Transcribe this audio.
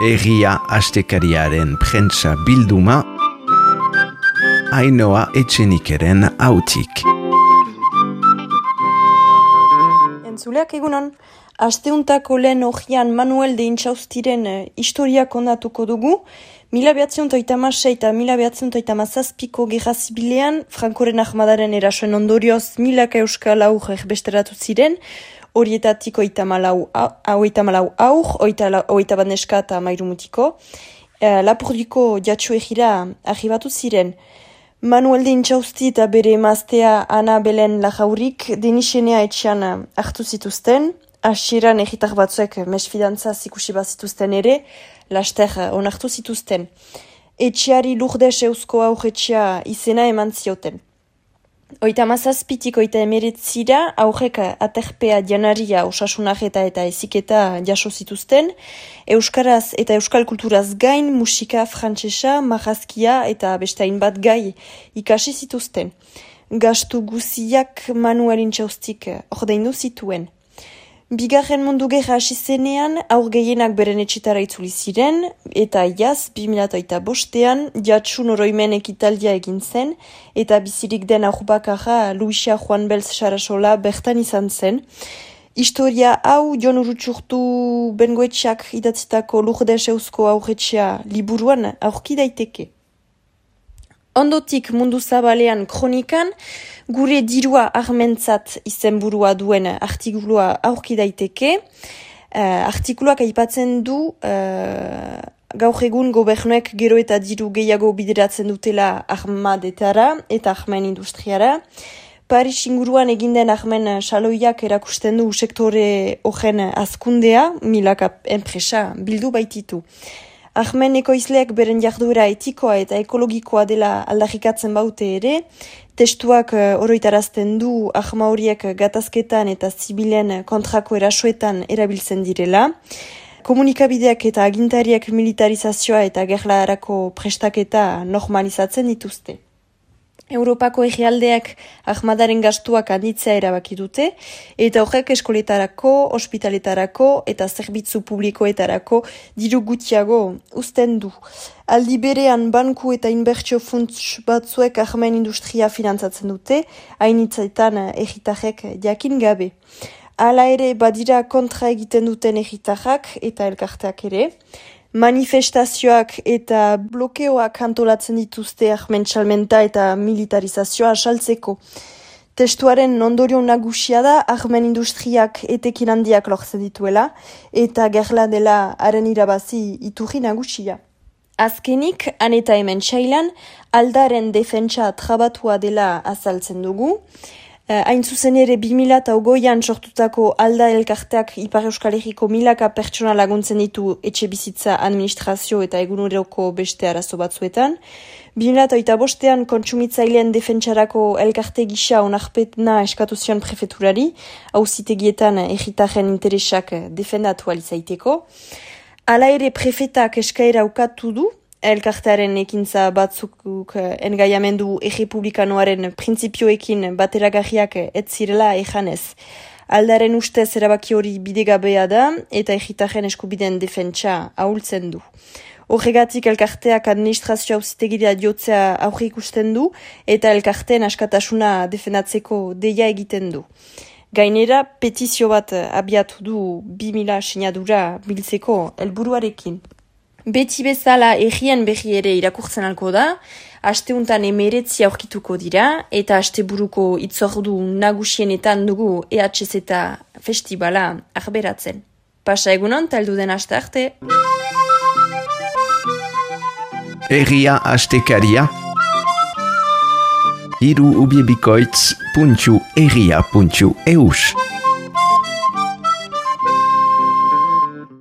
Egia astekariaren prentsa bilduma, Ainhoa Etxenikeren hautik. Entzuleak egunon, asteuntako lehen hogian Manuel de Intxaustiren historia kondatuko dugu. 1936 eta 1937ko gerra zibilean, Frankoren ahmadaren erasoen ondorioz milaka euskal aurrek besteratu ziren, horietatik 34 aur, 21 neska eta 13 mutiko. Lapurdiko jatsu egira arribatu ziren. Manuel de Intxausti eta bere emaztea Ana Belen Lajaurik denisenea etxean hartu zituzten. Hasieran egitar batzuek mesfidantzaz ikusi bazituzten ere, laster onartu zituzten. Etxeari Lourdes eusko aurretxea izena eman zioten. 37-19 aurrek aterpea janaria osasunarreta eta eziketa jaso zituzten, euskaraz eta euskal kulturaz gain musika frantsesa, marrazkia eta beste hainbat gai ikasi zituzten. Gastu guziak Manuel Intxaustik ordaindu zituen. Bigarren mundu gerra hasi zenean, aur gehienak beren etxetara itzuli ziren, eta iaz, 2005ean, jatsun oroimen ekitaldia egin zen, eta bizirik den aur bakarra Luisa Juan Belz Sarasola bertan izan zen. Historia hau Jon Urrutxurtu Bengoetxeak idatzitako Lourdes eusko aurretxea liburuan aurki daiteke. Ondotik mundu zabalean kronikan, gure dirua armentzat izenburua duen artikulua aurki daiteke. Artikuluak aipatzen du gaur egun gobernuek gero eta diru gehiago bideratzen dutela armadetara eta armen industriara. Paris inguruan eginden armen saloiak erakusten du sektore horren azkundea, milaka enpresa bildu baititu. Armen ekoizleak beren jarduera etikoa eta ekologikoa dela aldarrikatzen baute ere, testuak oroitarazten du arma horiek gatazketan eta zibilen kontrako erasoetan erabiltzen direla. Komunikabideak eta agintariak militarizazioa eta gerlarako prestaketa normalizatzen dituzte. Europako herrialdeak ahmadaren gastuak handitzea erabaki dute, eta horrek eskoletarako, ospitaletarako eta zerbitzu publikoetarako diru gutxiago uzten du. Aldi berean banku eta inbertsio funts batzuek ahmen industria finantzatzen dute, hainitzetan herritarrek jakin gabe. Hala ere badira kontra egiten duten herritarrak eta elkarteak ere. Manifestazioak eta blokeoak antolatzen dituzte armen salmenta eta militarizazioa asaltzeko. Testuaren ondorio nagusia da armen industriak etekin handiak lortzen dituela eta gerla dela haren irabazi iturri nagusia. Azkenik, han eta hemen txailan, aldaren defentsa trabatua dela azaltzen dugu. Hain zuzen ere 2008an sortutako alda elkarteak Ipar Euskal Herriko milaka pertsona laguntzen ditu etxe bizitza administrazio eta eguneroko beste arazo batzuetan. 2008an kontsumitzaileen defentsarako elkarte gisa onarpetna eskatu zion prefeturari, auzitegietan herritarren interesak defendatu alizaiteko. Hala ere prefetak eskaera ukatu du, elkartearen ekintza batzuk engaiamendu errepublikanoaren printzipioekin bateragarriak ez zirela ejanez. Aldaren ustez erabaki hori bidegabea da eta herritarren eskubideen defentsa ahultzen du. Horregatik elkarteak administrazio auzitegira jotzea aurre ikusten du eta elkarteen askatasuna defendatzeko deia egiten du. Gainera, petizio bat abiatu du 2000 sinadura biltzeko helburuarekin. Beti bezala errien berri ere irakurtzen alko da, asteuntan 19 aurkituko dira, eta asteburuko itzordu nagusienetan dugu EHZ eta festibala arberatzen. Pasa egunon, taldu den aste arte. Egia astekaria, hiru ubiebikoitz.egia.eus